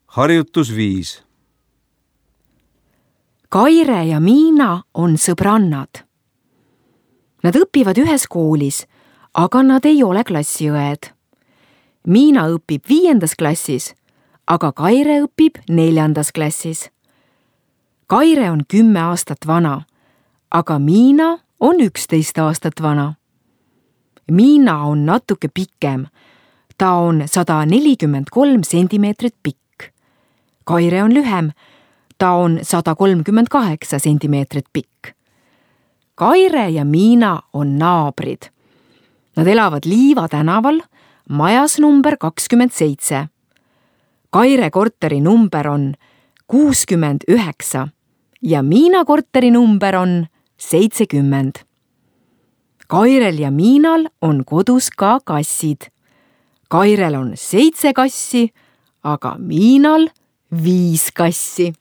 Harjutus 5. Kaire ja Miina on sõbrannad. Nad õpivad ühes koolis, aga nad ei ole klassiõed. Miina õpib 5. klassis, aga Kaire õpib 4. klassis. Kaire on 10 aastat vana, aga Miina on 11 aastat vana. Miina on natuke pikem. Ta on 143 sentimeetrit pikk. Kaire on lühem. Ta on 138 sentimeetrit pikk. Kaire ja Miina on naabrid. Nad elavad Liiva tänaval, majas number 27. Kaire korteri number on 69 ja Miina korteri number on 70. Kairel ja Miinal on kodus ka kassid. Kairel on 7 kassi, aga Miinal 5 kassi.